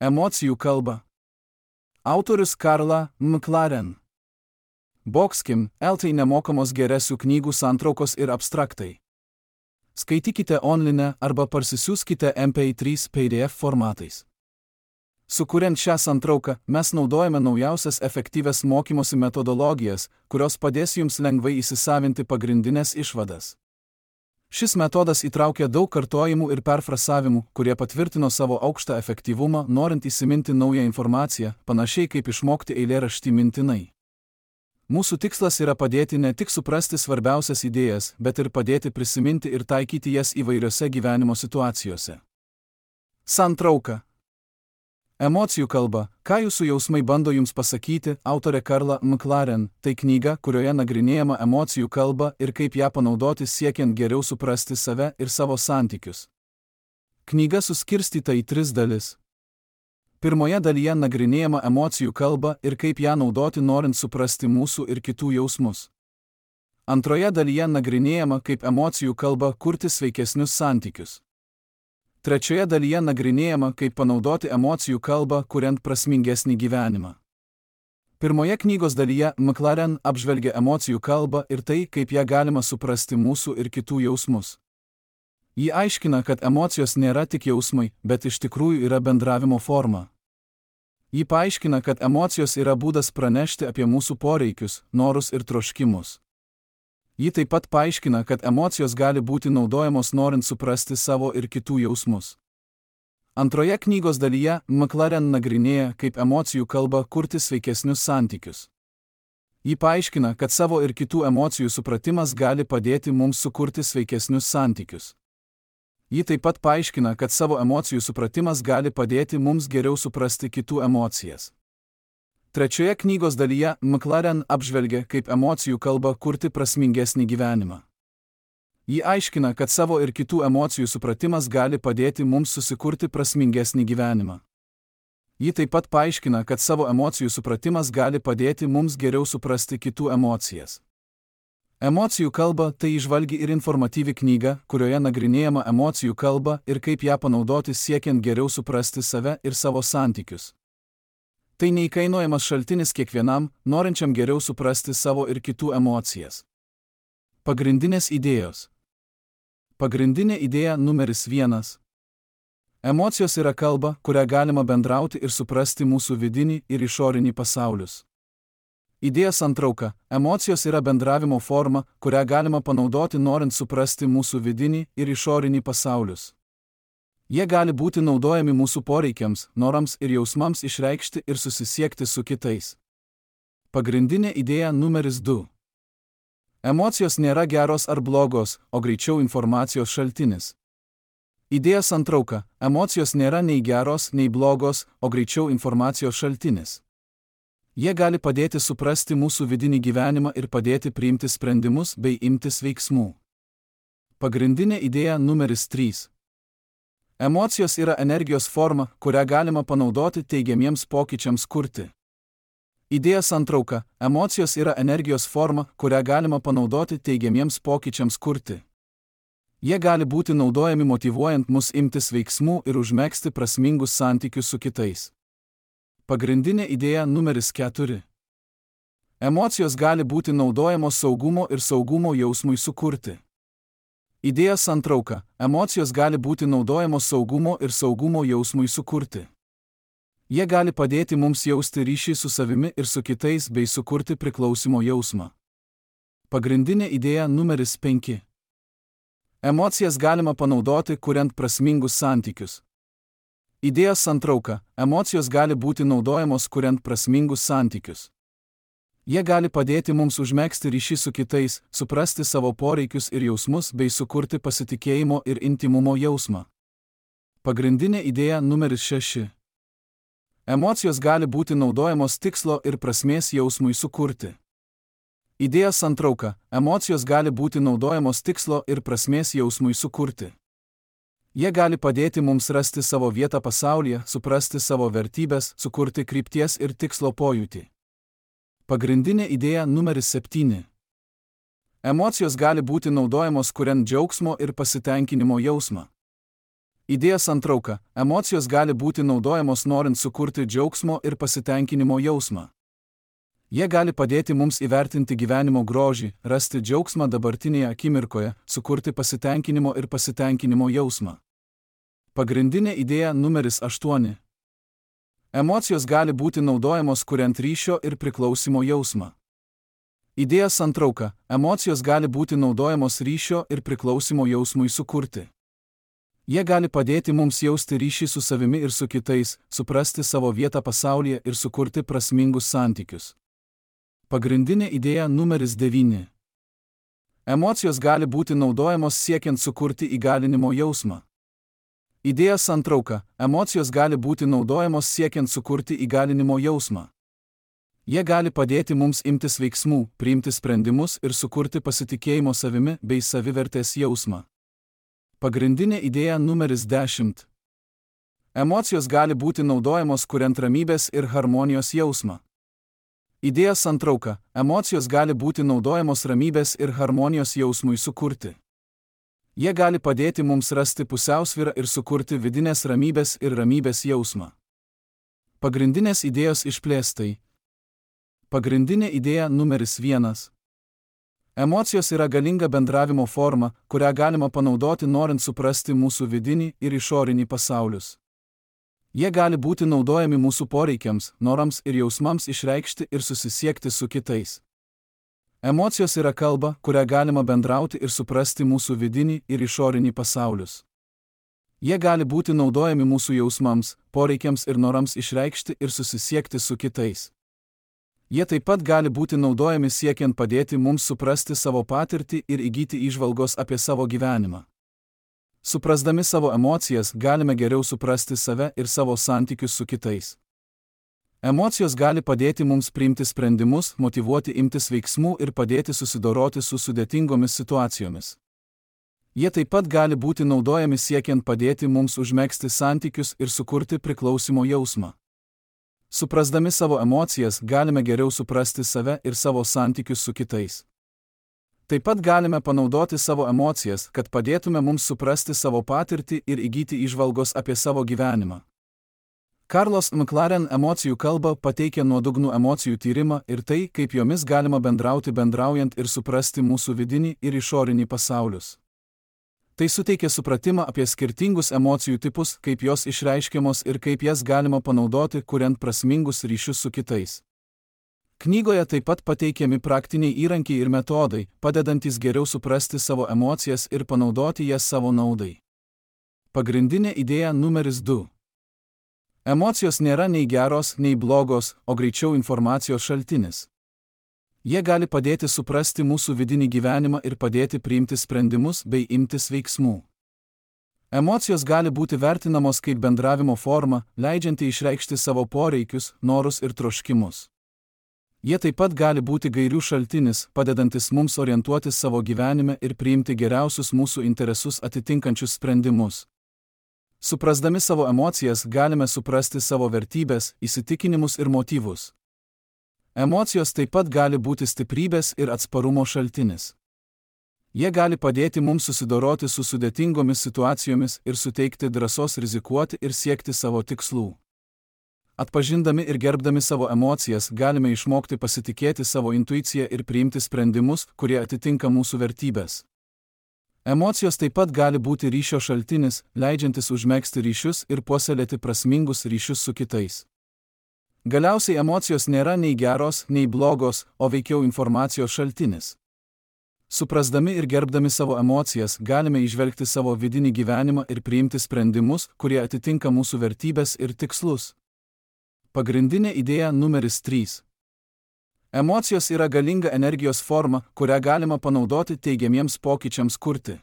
Emocijų kalba. Autorius Karla McLaren. Boxkim, LT nemokamos geresių knygų santraukos ir abstraktai. Skaitykite online arba parsisiųskite MP3 PDF formatais. Sukuriant šią santrauką, mes naudojame naujausias efektyvias mokymosi metodologijas, kurios padės jums lengvai įsisavinti pagrindinės išvadas. Šis metodas įtraukia daug kartojimų ir perfrasavimų, kurie patvirtino savo aukštą efektyvumą, norint įsiminti naują informaciją, panašiai kaip išmokti eilėraštį mintinai. Mūsų tikslas yra padėti ne tik suprasti svarbiausias idėjas, bet ir padėti prisiminti ir taikyti jas įvairiose gyvenimo situacijose. Santrauka. Emocijų kalba, ką jūsų jausmai bando jums pasakyti, autorė Karla McLaren, tai knyga, kurioje nagrinėjama emocijų kalba ir kaip ją panaudoti siekiant geriau suprasti save ir savo santykius. Knyga suskirstyta į 3 dalis. Pirmoje dalyje nagrinėjama emocijų kalba ir kaip ją naudoti norint suprasti mūsų ir kitų jausmus. Antroje dalyje nagrinėjama, kaip emocijų kalba kurti sveikesnius santykius. Trečioje dalyje nagrinėjama, kaip panaudoti emocijų kalbą, kuriant prasmingesnį gyvenimą. Pirmoje knygos dalyje McLaren apžvelgia emocijų kalbą ir tai, kaip ją galima suprasti mūsų ir kitų jausmus. Ji aiškina, kad emocijos nėra tik jausmai, bet iš tikrųjų yra bendravimo forma. Ji paaiškina, kad emocijos yra būdas pranešti apie mūsų poreikius, norus ir troškimus. Ji taip pat paaiškina, kad emocijos gali būti naudojamos norint suprasti savo ir kitų jausmus. Antroje knygos dalyje McLaren nagrinėja, kaip emocijų kalba kurti sveikesnius santykius. Ji paaiškina, kad savo ir kitų emocijų supratimas gali padėti mums sukurti sveikesnius santykius. Ji taip pat paaiškina, kad savo emocijų supratimas gali padėti mums geriau suprasti kitų emocijas. Trečioje knygos dalyje McLaren apžvelgia, kaip emocijų kalba kurti prasmingesnį gyvenimą. Ji aiškina, kad savo ir kitų emocijų supratimas gali padėti mums susikurti prasmingesnį gyvenimą. Ji taip pat paaiškina, kad savo emocijų supratimas gali padėti mums geriau suprasti kitų emocijas. Emocijų kalba tai įžvalgi ir informatyvi knyga, kurioje nagrinėjama emocijų kalba ir kaip ją panaudoti siekiant geriau suprasti save ir savo santykius. Tai neįkainojamas šaltinis kiekvienam, norinčiam geriau suprasti savo ir kitų emocijas. Pagrindinės idėjos. Pagrindinė idėja numeris 1. Emocijos yra kalba, kurią galima bendrauti ir suprasti mūsų vidinį ir išorinį pasaulius. Idėja santrauka. Emocijos yra bendravimo forma, kurią galima panaudoti norint suprasti mūsų vidinį ir išorinį pasaulius. Jie gali būti naudojami mūsų poreikiams, norams ir jausmams išreikšti ir susisiekti su kitais. Pagrindinė idėja numeris 2. Emocijos nėra geros ar blogos, o greičiau informacijos šaltinis. Idėja santrauka. Emocijos nėra nei geros, nei blogos, o greičiau informacijos šaltinis. Jie gali padėti suprasti mūsų vidinį gyvenimą ir padėti priimti sprendimus bei imtis veiksmų. Pagrindinė idėja numeris 3. Emocijos yra energijos forma, kurią galima panaudoti teigiamiems pokyčiams kurti. Idėja santrauka. Emocijos yra energijos forma, kurią galima panaudoti teigiamiems pokyčiams kurti. Jie gali būti naudojami motyvuojant mus imtis veiksmų ir užmegzti prasmingus santykius su kitais. Pagrindinė idėja numeris 4. Emocijos gali būti naudojamos saugumo jausmui sukurti. Idėja santrauka. Emocijos gali būti naudojamos saugumo jausmui sukurti. Jie gali padėti mums jausti ryšį su savimi ir su kitais bei sukurti priklausimo jausmą. Pagrindinė idėja numeris 5. Emocijas galima panaudoti, kuriant prasmingus santykius. Idėja santrauka. Emocijos gali būti naudojamos, kuriant prasmingus santykius. Jie gali padėti mums užmegzti ryšį su kitais, suprasti savo poreikius ir jausmus bei sukurti pasitikėjimo ir intymumo jausmą. Pagrindinė idėja numeris 6. Emocijos gali būti naudojamos tikslo ir prasmės jausmui sukurti. Idėja santrauka. Emocijos gali būti naudojamos tikslo ir prasmės jausmui sukurti. Jie gali padėti mums rasti savo vietą pasaulyje, suprasti savo vertybės, sukurti krypties ir tikslo pojūtį. Pagrindinė idėja numeris 7. Emocijos gali būti naudojamos kuriant džiaugsmo ir pasitenkinimo jausmą. Idėja santrauka. Emocijos gali būti naudojamos norint sukurti džiaugsmo ir pasitenkinimo jausmą. Jie gali padėti mums įvertinti gyvenimo grožį, rasti džiaugsmą dabartinėje akimirkoje, sukurti pasitenkinimo ir pasitenkinimo jausmą. Pagrindinė idėja numeris 8. Emocijos gali būti naudojamos kuriant ryšio ir priklausimo jausmą. Idėja santrauka. Emocijos gali būti naudojamos ryšio ir priklausimo jausmui sukurti. Jie gali padėti mums jausti ryšį su savimi ir su kitais, suprasti savo vietą pasaulyje ir sukurti prasmingus santykius. Pagrindinė idėja numeris 9. Emocijos gali būti naudojamos siekiant sukurti įgalinimo jausmą. Idėja santrauka. Emocijos gali būti naudojamos siekiant sukurti įgalinimo jausmą. Jie gali padėti mums imtis veiksmų, priimti sprendimus ir sukurti pasitikėjimo savimi bei savivertės jausmą. Pagrindinė idėja numeris 10. Emocijos gali būti naudojamos kuriant ramybės ir harmonijos jausmą. Idėja santrauka. Emocijos gali būti naudojamos ramybės ir harmonijos jausmui sukurti. Jie gali padėti mums rasti pusiausvyrą ir sukurti vidinės ramybės ir ramybės jausmą. Pagrindinės idėjos išplėstai. Pagrindinė idėja numeris 1. Emocijos yra galinga bendravimo forma, kurią galima panaudoti norint suprasti mūsų vidinį ir išorinį pasaulius. Jie gali būti naudojami mūsų poreikiams, norams ir jausmams išreikšti ir susisiekti su kitais. Emocijos yra kalba, kurią galima bendrauti ir suprasti mūsų vidinį ir išorinį pasaulius. Jie gali būti naudojami mūsų jausmams, poreikiams ir norams išreikšti ir susisiekti su kitais. Jie taip pat gali būti naudojami siekiant padėti mums suprasti savo patirtį ir įgyti įžvalgos apie savo gyvenimą. Suprasdami savo emocijas, galime geriau suprasti save ir savo santykius su kitais. Emocijos gali padėti mums priimti sprendimus, motyvuoti imtis veiksmų ir padėti susidoroti su sudėtingomis situacijomis. Jie taip pat gali būti naudojami siekiant padėti mums užmegzti santykius ir sukurti priklausimo jausmą. Suprasdami savo emocijas, galime geriau suprasti save ir savo santykius su kitais. Taip pat galime panaudoti savo emocijas, kad padėtume mums suprasti savo patirtį ir įgyti įžvalgos apie savo gyvenimą. Carlos McLaren emocijų kalba pateikia nuodugnų emocijų tyrimą ir tai, kaip jomis galima bendrauti bendraujant ir suprasti mūsų vidinį ir išorinį pasaulius. Tai suteikia supratimą apie skirtingus emocijų tipus, kaip jos išreiškiamos ir kaip jas galima panaudoti, kuriant prasmingus ryšius su kitais. Knygoje taip pat pateikiami praktiniai įrankiai ir metodai, padedantis geriau suprasti savo emocijas ir panaudoti jas savo naudai. Pagrindinė idėja numeris 2. Emocijos nėra nei geros, nei blogos, o greičiau informacijos šaltinis. Jie gali padėti suprasti mūsų vidinį gyvenimą ir padėti priimti sprendimus bei imtis veiksmų. Emocijos gali būti vertinamos kaip bendravimo forma, leidžianti išreikšti savo poreikius, norus ir troškimus. Jie taip pat gali būti gairių šaltinis, padedantis mums orientuotis savo gyvenime ir priimti geriausius mūsų interesus atitinkančius sprendimus. Suprasdami savo emocijas, galime suprasti savo vertybės, įsitikinimus ir motyvus. Emocijos taip pat gali būti stiprybės ir atsparumo šaltinis. Jie gali padėti mums susidoroti su sudėtingomis situacijomis ir suteikti drąsos rizikuoti ir siekti savo tikslų. Atpažindami ir gerbdami savo emocijas, galime išmokti pasitikėti savo intuiciją ir priimti sprendimus, kurie atitinka mūsų vertybės. Emocijos taip pat gali būti ryšio šaltinis, leidžiantis užmegzti ryšius ir puoselėti prasmingus ryšius su kitais. Galiausiai emocijos nėra nei geros, nei blogos, o veikiau informacijos šaltinis. Suprasdami ir gerbdami savo emocijas, galime įžvelgti savo vidinį gyvenimą ir priimti sprendimus, kurie atitinka mūsų vertybės ir tikslus. Pagrindinė idėja numeris 3. Emocijos yra galinga energijos forma, kurią galima panaudoti teigiamiems pokyčiams kurti.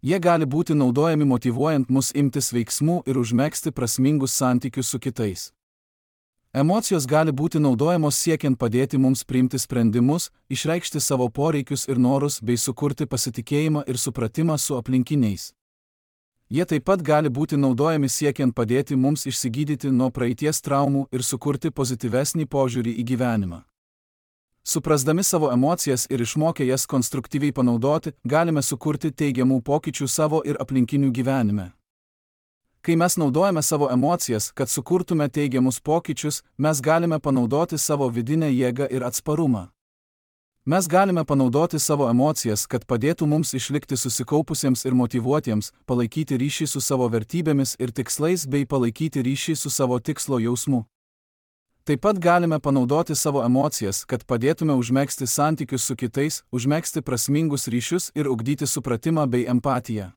Jie gali būti naudojami motyvuojant mus imtis veiksmų ir užmegzti prasmingus santykius su kitais. Emocijos gali būti naudojamos siekiant padėti mums priimti sprendimus, išreikšti savo poreikius ir norus bei sukurti pasitikėjimą ir supratimą su aplinkiniais. Jie taip pat gali būti naudojami siekiant padėti mums išsigydyti nuo praeities traumų ir sukurti pozityvesnį požiūrį į gyvenimą. Suprasdami savo emocijas ir išmokę jas konstruktyviai panaudoti, galime sukurti teigiamų pokyčių savo ir aplinkinių gyvenime. Kai mes naudojame savo emocijas, kad sukurtume teigiamus pokyčius, mes galime panaudoti savo vidinę jėgą ir atsparumą. Mes galime panaudoti savo emocijas, kad padėtų mums išlikti susikaupusiems ir motyvuotiems, palaikyti ryšį su savo vertybėmis ir tikslais bei palaikyti ryšį su savo tikslo jausmu. Taip pat galime panaudoti savo emocijas, kad padėtume užmegzti santykius su kitais, užmegzti prasmingus ryšius ir ugdyti supratimą bei empatiją.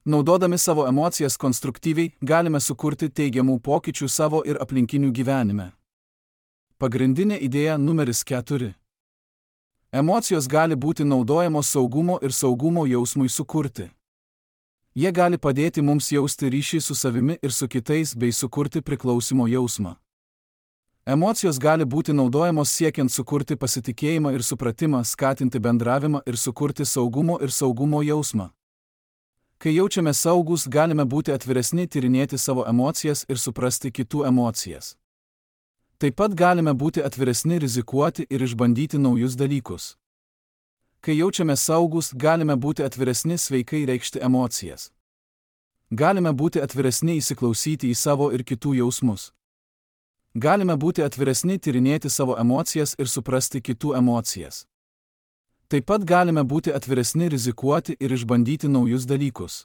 Naudodami savo emocijas konstruktyviai, galime sukurti teigiamų pokyčių savo ir aplinkinių gyvenime. Pagrindinė idėja numeris 4. Emocijos gali būti naudojamos saugumo ir saugumo jausmui sukurti. Jie gali padėti mums jausti ryšį su savimi ir su kitais bei sukurti priklausimo jausmą. Emocijos gali būti naudojamos siekiant sukurti pasitikėjimą ir supratimą, skatinti bendravimą ir sukurti saugumo ir saugumo jausmą. Kai jaučiame saugus, galime būti atviresni tyrinėti savo emocijas ir suprasti kitų emocijas. Taip pat galime būti atviresni rizikuoti ir išbandyti naujus dalykus. Kai jaučiame saugus, galime būti atviresni sveikai reikšti emocijas. Galime būti atviresni įsiklausyti į savo ir kitų jausmus. Galime būti atviresni tyrinėti savo emocijas ir suprasti kitų emocijas. Taip pat galime būti atviresni rizikuoti ir išbandyti naujus dalykus.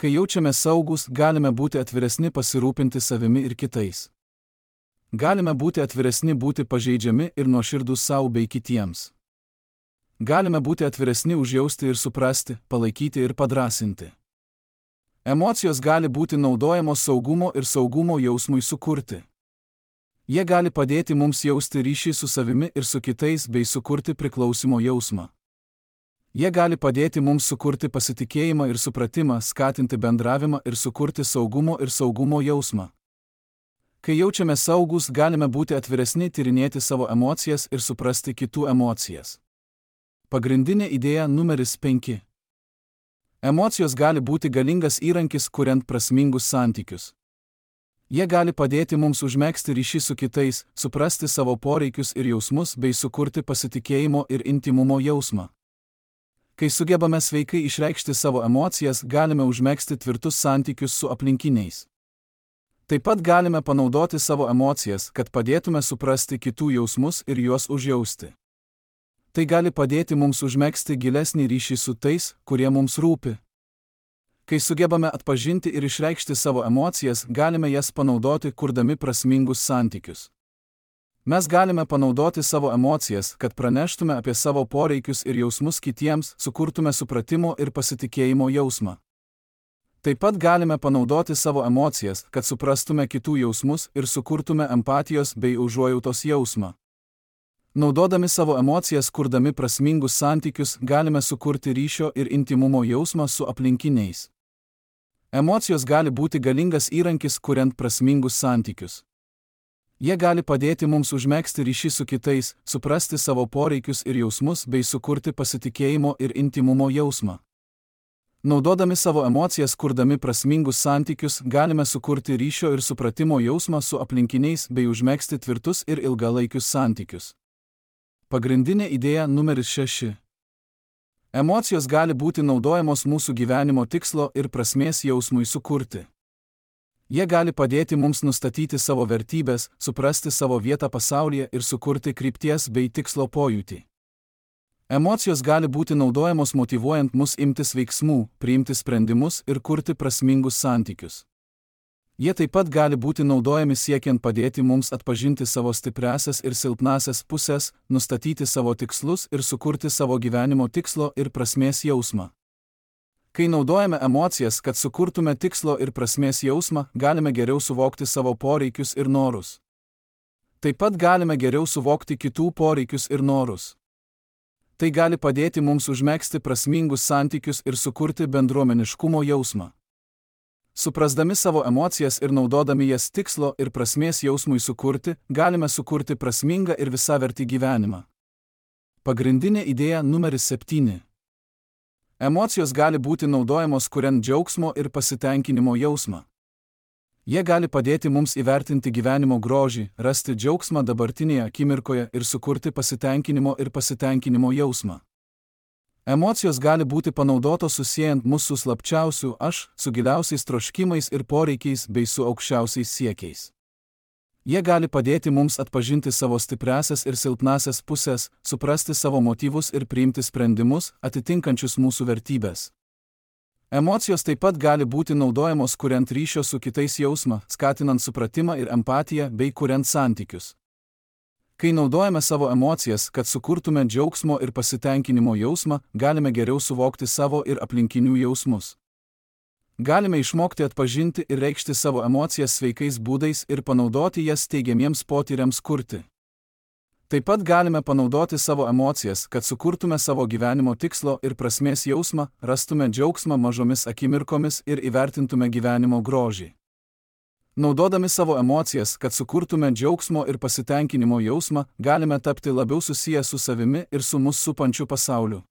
Kai jaučiame saugus, galime būti atviresni pasirūpinti savimi ir kitais. Galime būti atviresni būti pažeidžiami ir nuoširdūs savo bei kitiems. Galime būti atviresni užjausti ir suprasti, palaikyti ir padrąsinti. Emocijos gali būti naudojamos saugumo ir saugumo jausmui sukurti. Jie gali padėti mums jausti ryšį su savimi ir su kitais bei sukurti priklausimo jausmą. Jie gali padėti mums sukurti pasitikėjimą ir supratimą, skatinti bendravimą ir sukurti saugumo ir saugumo jausmą. Kai jaučiame saugus, galime būti atviresni tyrinėti savo emocijas ir suprasti kitų emocijas. Pagrindinė idėja numeris 5. Emocijos gali būti galingas įrankis, kuriant prasmingus santykius. Jie gali padėti mums užmegzti ryšį su kitais, suprasti savo poreikius ir jausmus bei sukurti pasitikėjimo ir intymumo jausmą. Kai sugebame sveikai išreikšti savo emocijas, galime užmegzti tvirtus santykius su aplinkiniais. Taip pat galime panaudoti savo emocijas, kad padėtume suprasti kitų jausmus ir juos užjausti. Tai gali padėti mums užmegzti gilesnį ryšį su tais, kurie mums rūpi. Kai sugebame atpažinti ir išreikšti savo emocijas, galime jas panaudoti, kurdami prasmingus santykius. Mes galime panaudoti savo emocijas, kad praneštume apie savo poreikius ir jausmus kitiems, sukurtume supratimo ir pasitikėjimo jausmą. Taip pat galime panaudoti savo emocijas, kad suprastume kitų jausmus ir sukurtume empatijos bei užuojautos jausmą. Naudodami savo emocijas, kurdami prasmingus santykius, galime sukurti ryšio ir intymumo jausmą su aplinkiniais. Emocijos gali būti galingas įrankis, kuriant prasmingus santykius. Jie gali padėti mums užmegzti ryšį su kitais, suprasti savo poreikius ir jausmus bei sukurti pasitikėjimo ir intymumo jausmą. Naudodami savo emocijas, kurdami prasmingus santykius, galime sukurti ryšio ir supratimo jausmą su aplinkiniais bei užmegzti tvirtus ir ilgalaikius santykius. Pagrindinė idėja numeris 6. Emocijos gali būti naudojamos mūsų gyvenimo tikslo ir prasmės jausmui sukurti. Jie gali padėti mums nustatyti savo vertybės, suprasti savo vietą pasaulyje ir sukurti krypties bei tikslo pojūtį. Emocijos gali būti naudojamos motyvuojant mus imtis veiksmų, priimti sprendimus ir kurti prasmingus santykius. Jie taip pat gali būti naudojami siekiant padėti mums atpažinti savo stipriąsias ir silpnąsias pusės, nustatyti savo tikslus ir sukurti savo gyvenimo tikslo ir prasmės jausmą. Kai naudojame emocijas, kad sukurtume tikslo ir prasmės jausmą, galime geriau suvokti savo poreikius ir norus. Taip pat galime geriau suvokti kitų poreikius ir norus. Tai gali padėti mums užmegzti prasmingus santykius ir sukurti bendruomeniškumo jausmą. Suprasdami savo emocijas ir naudodami jas tikslo ir prasmės jausmui sukurti, galime sukurti prasmingą ir visavertį gyvenimą. Pagrindinė idėja numeris 7. Emocijos gali būti naudojamos kuriant džiaugsmo ir pasitenkinimo jausmą. Jie gali padėti mums įvertinti gyvenimo grožį, rasti džiaugsmą dabartinėje akimirkoje ir sukurti pasitenkinimo jausmą. Emocijos gali būti panaudotos susiejant mus su slapčiausiu aš, su giliausiais troškimais ir poreikiais bei su aukščiausiais siekiais. Jie gali padėti mums atpažinti savo stipriasias ir silpnasias pusės, suprasti savo motyvus ir priimti sprendimus, atitinkančius mūsų vertybės. Emocijos taip pat gali būti naudojamos kuriant ryšio su kitais jausmą, skatinant supratimą ir empatiją bei kuriant santykius. Kai naudojame savo emocijas, kad sukurtume džiaugsmo ir pasitenkinimo jausmą, galime geriau suvokti savo ir aplinkinių jausmus. Galime išmokti atpažinti ir reikšti savo emocijas sveikais būdais ir panaudoti jas teigiamiems potyriams kurti. Taip pat galime panaudoti savo emocijas, kad sukurtume savo gyvenimo tikslo ir prasmės jausmą, rastume džiaugsmą mažomis akimirkomis ir įvertintume gyvenimo grožį. Naudodami savo emocijas, kad sukurtume džiaugsmo ir pasitenkinimo jausmą, galime tapti labiau susiję su savimi ir su mus supančiu pasauliu.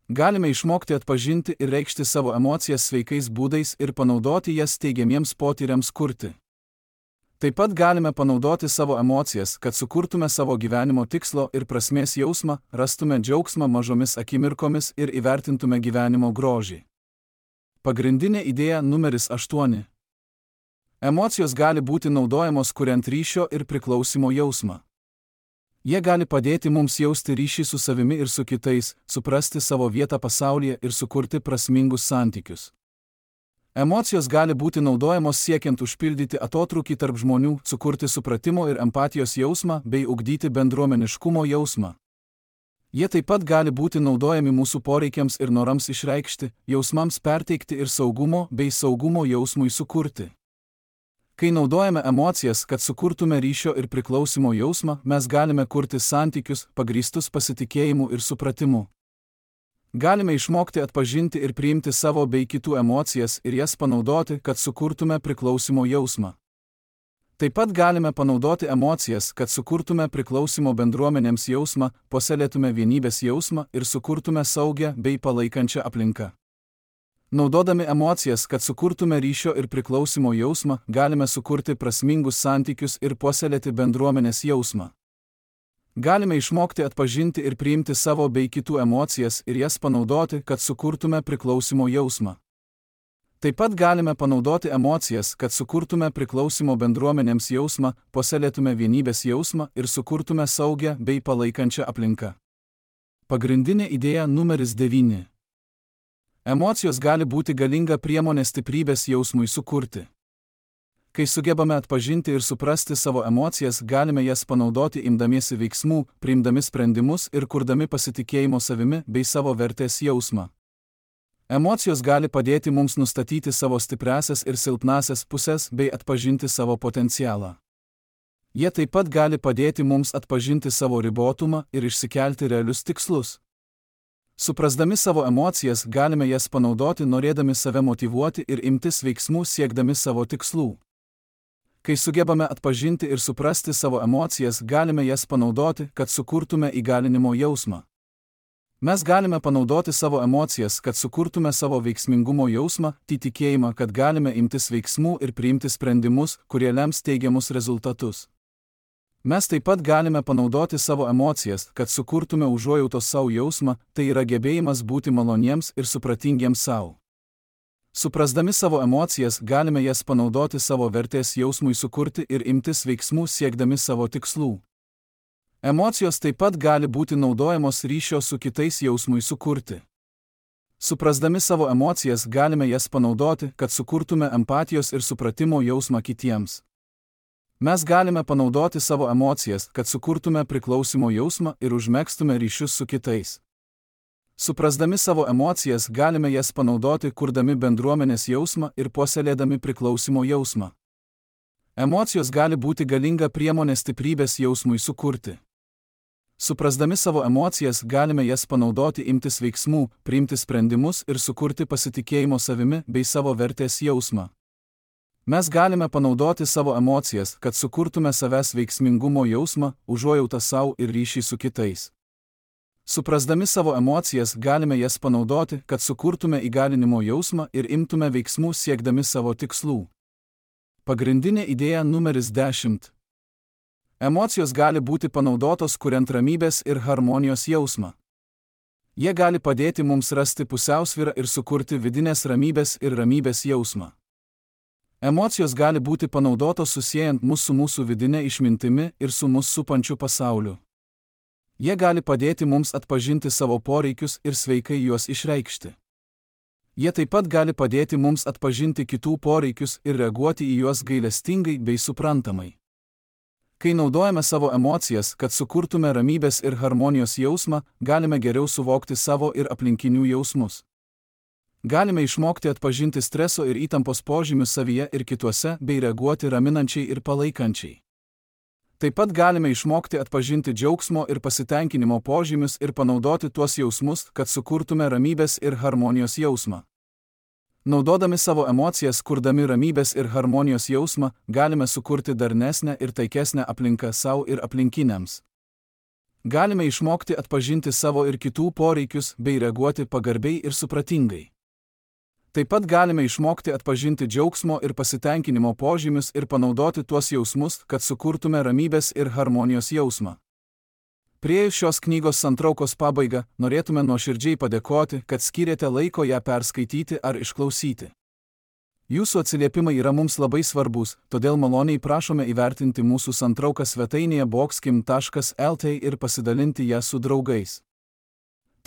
Galime išmokti atpažinti ir reikšti savo emocijas sveikais būdais ir panaudoti jas teigiamiems potyriams kurti. Taip pat galime panaudoti savo emocijas, kad sukurtume savo gyvenimo tikslo ir prasmės jausmą, rastume džiaugsmą mažomis akimirkomis ir įvertintume gyvenimo grožį. Pagrindinė idėja numeris 8. Emocijos gali būti naudojamos kuriant ryšio ir priklausimo jausmą. Jie gali padėti mums jausti ryšį su savimi ir su kitais, suprasti savo vietą pasaulyje ir sukurti prasmingus santykius. Emocijos gali būti naudojamos siekiant užpildyti atotrūkį tarp žmonių, sukurti supratimo ir empatijos jausmą bei ugdyti bendruomeniškumo jausmą. Jie taip pat gali būti naudojami mūsų poreikiams ir norams išreikšti, jausmams perteikti ir saugumo bei saugumo jausmui sukurti. Kai naudojame emocijas, kad sukurtume ryšio ir priklausimo jausmą, mes galime kurti santykius, pagrįstus pasitikėjimu ir supratimu. Galime išmokti atpažinti ir priimti savo bei kitų emocijas ir jas panaudoti, kad sukurtume priklausimo jausmą. Taip pat galime panaudoti emocijas, kad sukurtume priklausimo bendruomenėms jausmą, puoselėtume vienybės jausmą ir sukurtume saugią bei palaikančią aplinką. Naudodami emocijas, kad sukurtume ryšio ir priklausimo jausmą, galime sukurti prasmingus santykius ir puoselėti bendruomenės jausmą. Galime išmokti atpažinti ir priimti savo bei kitų emocijas ir jas panaudoti, kad sukurtume priklausimo jausmą. Taip pat galime panaudoti emocijas, kad sukurtume priklausimo bendruomenėms jausmą, puoselėtume vienybės jausmą ir sukurtume saugią bei palaikančią aplinką. Pagrindinė idėja numeris 9. Emocijos gali būti galinga priemonė stiprybės jausmui sukurti. Kai sugebame atpažinti ir suprasti savo emocijas, galime jas panaudoti imdamiesi veiksmų, priimdami sprendimus ir kurdami pasitikėjimo savimi bei savo vertės jausmą. Emocijos gali padėti mums nustatyti savo stipriasias ir silpnasias pusės bei atpažinti savo potencialą. Jie taip pat gali padėti mums atpažinti savo ribotumą ir išsikelti realius tikslus. Suprasdami savo emocijas, galime jas panaudoti norėdami save motyvuoti ir imtis veiksmų siekdami savo tikslų. Kai sugebame atpažinti ir suprasti savo emocijas, galime jas panaudoti, kad sukurtume įgalinimo jausmą. Mes galime panaudoti savo emocijas, kad sukurtume savo veiksmingumo jausmą, tikėjimą, kad galime imtis veiksmų ir priimti sprendimus, kurie lems teigiamus rezultatus. Mes taip pat galime panaudoti savo emocijas, kad sukurtume užuojautos savo jausmą, tai yra gebėjimas būti maloniems ir supratingiems savo. Suprasdami savo emocijas, galime jas panaudoti savo vertės jausmui sukurti ir imtis veiksmų siekdami savo tikslų. Emocijos taip pat gali būti naudojamos ryšio su kitais jausmui sukurti. Suprasdami savo emocijas, galime jas panaudoti, kad sukurtume empatijos ir supratimo jausmą kitiems. Mes galime panaudoti savo emocijas, kad sukurtume priklausimo jausmą ir užmegztume ryšius su kitais. Suprasdami savo emocijas, galime jas panaudoti, kurdami bendruomenės jausmą ir puoselėdami priklausimo jausmą. Emocijos gali būti galinga priemonė stiprybės jausmui sukurti. Suprasdami savo emocijas, galime jas panaudoti imtis veiksmų, priimti sprendimus ir sukurti pasitikėjimo savimi bei savo vertės jausmą. Mes galime panaudoti savo emocijas, kad sukurtume savęs veiksmingumo jausmą, užuojautą savo ir ryšį su kitais. Suprasdami savo emocijas, galime jas panaudoti, kad sukurtume įgalinimo jausmą ir imtume veiksmų siekdami savo tikslų. Pagrindinė idėja numeris 10. Emocijos gali būti panaudotos kuriant ramybės ir harmonijos jausmą. Jie gali padėti mums rasti pusiausvyrą ir sukurti vidinės ramybės ir ramybės jausmą. Emocijos gali būti panaudotos susiejant mus su mūsų vidinė išmintimi ir su mus supančiu pasauliu. Jie gali padėti mums atpažinti savo poreikius ir sveikai juos išreikšti. Jie taip pat gali padėti mums atpažinti kitų poreikius ir reaguoti į juos gailestingai bei suprantamai. Kai naudojame savo emocijas, kad sukurtume ramybės ir harmonijos jausmą, galime geriau suvokti savo ir aplinkinių jausmus. Galime išmokti atpažinti streso ir įtampos požymius savyje ir kituose bei reaguoti raminančiai ir palaikančiai. Taip pat galime išmokti atpažinti džiaugsmo ir pasitenkinimo požymius ir panaudoti tuos jausmus, kad sukurtume ramybės ir harmonijos jausmą. Naudodami savo emocijas, kurdami ramybės ir harmonijos jausmą, galime sukurti darnesnę ir taikesnę aplinką savo ir aplinkiniams. Galime išmokti atpažinti savo ir kitų poreikius bei reaguoti pagarbiai ir supratingai. Taip pat galime išmokti atpažinti džiaugsmo ir pasitenkinimo požymius ir panaudoti tuos jausmus, kad sukurtume ramybės ir harmonijos jausmą. Priėjus šios knygos santraukos pabaigą, norėtume nuoširdžiai padėkoti, kad skyrėte laiko ją perskaityti ar išklausyti. Jūsų atsiliepimai yra mums labai svarbus, todėl maloniai prašome įvertinti mūsų santrauką svetainėje boxkim.lt ir pasidalinti ją su draugais.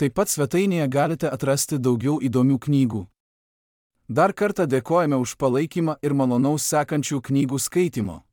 Taip pat svetainėje galite atrasti daugiau įdomių knygų. Dar kartą dėkojame už palaikymą ir malonaus sekančių knygų skaitimo.